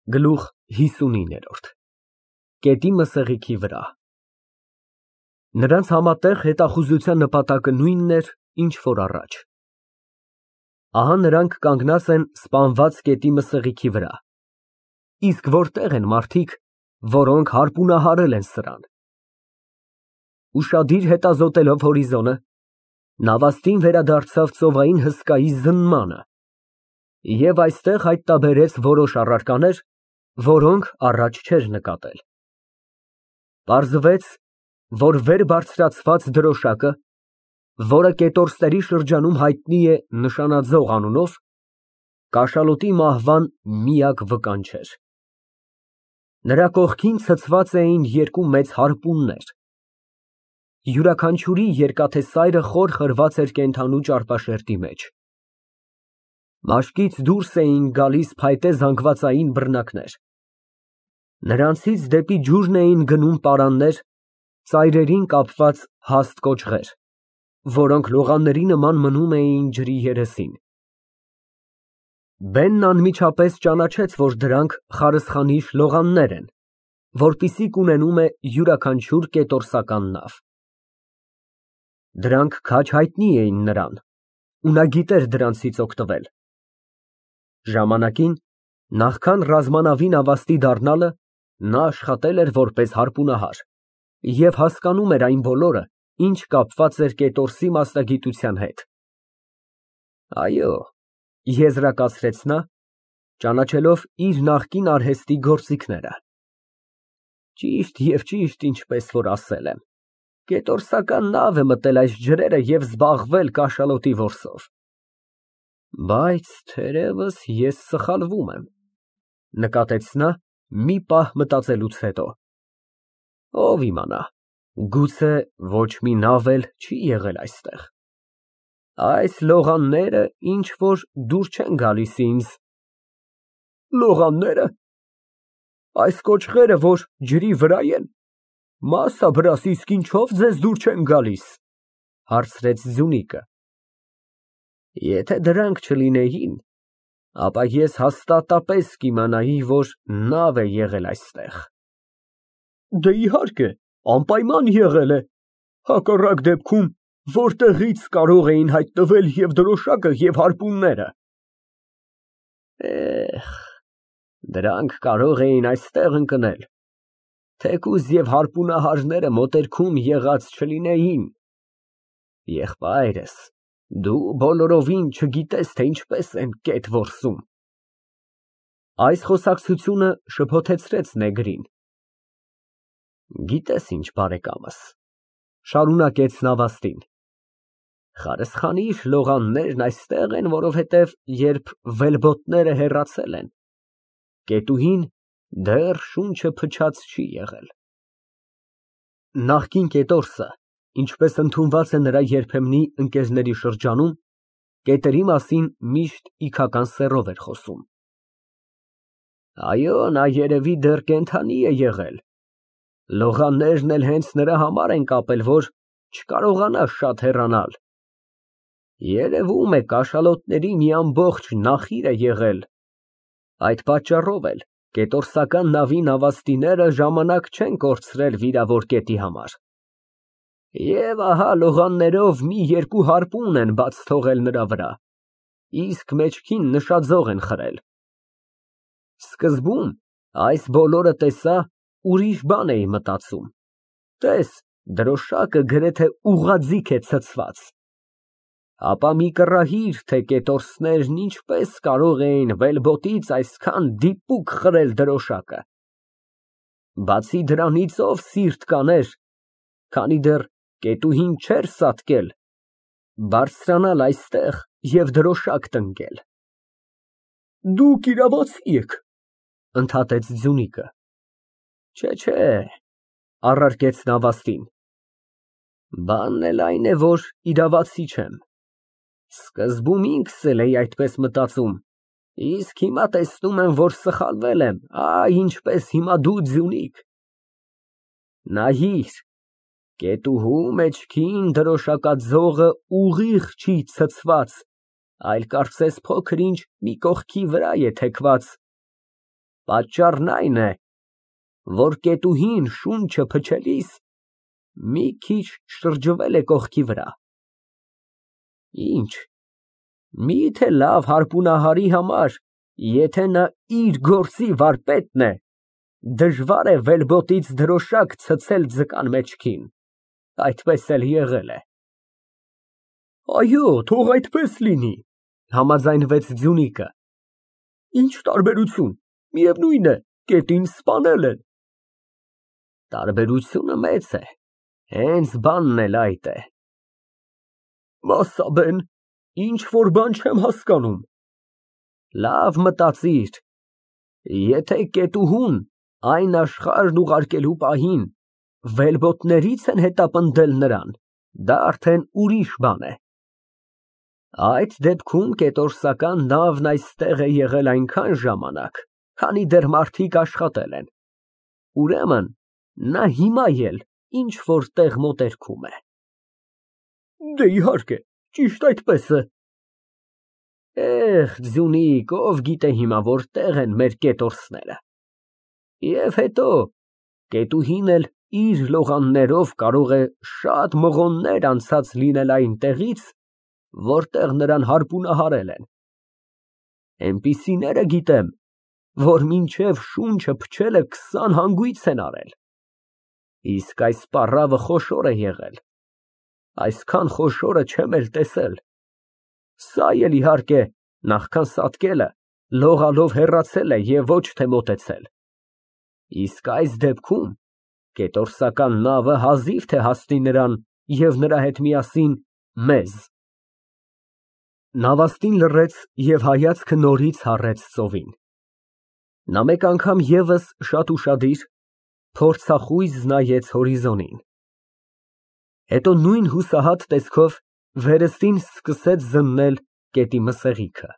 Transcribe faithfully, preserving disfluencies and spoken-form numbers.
Գլուխ հիսունինը Կետի մսեղիքի վրա Նրանց համատեղ հետախուզության նպատակը նույնն էր, ինչ որ առաջ։ Ահա նրանք կանգնած են սպանված կետի մսեղիքի վրա, իսկ որտեղ են մարդիկ, որոնք հարպունահարել են սրան։ Ուշադիր հետազոտելով հորիզոնը, նավաստին վերադարձավ ծովային հսկայի զննմանը և այստեղ հայտնաբերեց որոշ առարկաներ, որոնք առաջ չէր նկատել։ Պարզվեց, որ վեր բարձրացված դրոշակը, որը կետորսների շրջանում հայտնի է նշանաձող անունով, կաշալոտի մահվան միակ վկան չէր։ Նրա կողքին ցցված էին երկու մեծ հարպուններ, յուրաքանչյուրի երկաթե սայրը խոր խրված էր կենդանու ճարպաշերտի մեջ։ Մաշկից դուրս էին գալիս փայտե զանգվածային բռնակներ։ Նրանցից դեպի ջուրն էին գնում պարաններ, ծայրերին կապված հաստ կոճղեր, որոնք լողանների նման մնում էին ջրի երեսին։ Բենն անմիջապես ճանաչեց, որ դրանք խարսխանիշ լողաններ են, որպիսի կունենում է յուրաքանչյուր կետորսական նավ։ Դրանք քաջ հայտնի էին նրան, ու նա գիտեր դրանցից օգտվել։ Ժամանակին, նախքան ռազմանավի նավաստի դառնալը, նա աշխատել էր որպես հարպունահար և հասկանում էր այն բոլորը, ինչ կապված էր կետորսի մասնագիտության հետ։ Այո, եզրակացրեց նա, ճանաչելով իր նախկին արհեստի գործիքները։ Ճիշտ և ճիշտ ինչպես որ ասել եմ, կետորսական նավ է մտել այս ջրերը և զբաղվել կաշալոտի որսով։ Բայց թերևս ես սխալվում եմ, նկատեց նա մի պահ մտածելուց հետո։ Ով իմանա, գուցե ոչ մի նավ էլ չի եղել այստեղ։ Այս լողանները ինչ որ դուր չեն գալիս ինձ։ Լողաննե՞րը։ Այս կոճղերը, որ ջրի վրա են, մասաբրաս իսկ ինչո՞վ ձեզ դուր չեն գալիս, հարցրեց Ձյունիկը։ Եթե դրանք չլինեին, ապա ես հաստատապես կիմանայի, որ նավ է եղել այստեղ։ Դե իհարկե, անպայման եղել է, հակառակ դեպքում որտեղի՞ց կարող էին հայտնվել և դրոշակը, և հարպունները։ Էհ, դրանք կարող էին այստեղ ընկնել, թեկուզ և հարպունահարները մոտերքում եղած չլինեին։ Եղբայրս, դու բոլորովին չգիտես, թե ինչպես են կետ որսում։ Այս խոսակցությունը շփոթեցրեց նեգրին։ Գիտես ինչ, բարեկամս, շարունակեց նավաստին, խարսխանիշ լողաններն այստեղ են, որովհետև երբ վելբոտները հեռացել են, կետուհին դեռ շունչը փչած չի եղել։ Նախկին կետորսը, ինչպես ընդունված է նրա երբեմնի ընկերների շրջանում, կետերի մասին միշտ իգական սեռով էր խոսում։ Այո, նա երևի դեռ կենդանի է եղել։ Լողաններն էլ հենց նրա համար են կապել, որ չկարողանա շատ հեռանալ։ Երևում է կաշալոտների մի ամբողջ նախիր է եղել։ Այդ պատճառով էլ կետորսական նավի նավաստիները ժամանակ չեն կորցրել վիրավոր կետի համար։ Եվ ահա լողաններով մի երկու հարպուն են բաց թողել նրա վրա, իսկ մեջքին նշաձող են խրել։ Սկզբում այս բոլորը տեսա, ուրիշ բան էի մտածում, տես, դրոշակը գրեթե ուղղաձիգ է ցցված։ Ապա մի կռահիր, թե կետորսներն ինչպես կարող էին վելբոտից այսքան դիպուկ խրել դրոշակը։ Բացի դրանից ով սիրտ կաներ, քանի դեռ կետուհին չէր սատկել, բարձրանալ այստեղ և դրոշակ տնկել։ Դուք իրավացի եք, ընդհատեց Ձյունիկը։ Չէ, չէ, առարկեց նավաստին, բանն էլ այն է, որ իրավացի չեմ։ Սկզբում ինքս էլ էի այդպես մտածում, իսկ հիմա տեսնում եմ, որ սխալվել եմ, այ ինչպես հիմա դու, Ձյունիկ։ Նայիր, կետուհու մեջքին դրոշակաձողը ուղիղ չի ցցված, այլ կարծես փոքր ինչ մի կողքի վրա է թեքված։ Պատճառն այն է, որ կետուհին շունչը փչելիս մի քիչ շրջվել է կողքի վրա։ Ինչ, միթե լավ հարպունահարի համար, եթե նա իր գործի վարպետն է, դժվար է վելբոտից դրոշակ ցցել ձկան մեջքին, այդպես էլ եղել է։ Այո, թող այդպես լինի, համաձայնվեց Ձյունիկը։ Ինչ տարբերություն, միևնույն է, կետին սպանել են։ Տարբերությունը մեծ է, հենց բանն էլ այդ է։ Մասաբեն, ինչ որ բան չեմ հասկանում։ Լավ մտածիր, եթե կետուհուն այն աշխարհն ուղարկելու պահին վելբոտներից են հետապնդել նրան, դա արդեն ուրիշ բան է։ Այդ դեպքում կետորսական նավն այստեղ է եղել այնքան ժամանակ, քանի դեռ մարդիկ աշխատել են, ուրեմն նա հիմա էլ ինչ որ տեղ մոտերքում է։ Դե իհարկե, ճիշտ այդպես է։ Էհ, Ձյունիկ, ով գիտե հիմա որտեղ են մեր կետորսները։ Եվ հետո, կետուհին էլ իր լողաններով կարող է շատ մղոններ անցած լինել այն տեղից, որտեղ նրան հարպունահարել են։ Էնպիսիները գիտեմ, որ մինչև շունչը փչելը քսան հանգույց են արել։ Իսկ այս պառավը խոշոր է եղել, այսքան խոշորը չեմ էլ տեսել։ Սա էլ իհարկե, նախքան սատկելը, լողալով հեռացել է և ոչ թե մոտեցել։ Իսկ այս դեպքում կետորսական նավը հազիվ թե հասնի նրան և նրա հետ միասին մեզ։ Նավաստին լռեց և հայացքը նորից հառեց ծովին։ Նա մեկ անգամ ևս շատ ուշադիր, փորձախույզ նայեց հորիզոնին։ Հետո նույն հուսահատ տեսքով վերստին սկսեց զննել գետի մսեղիքը։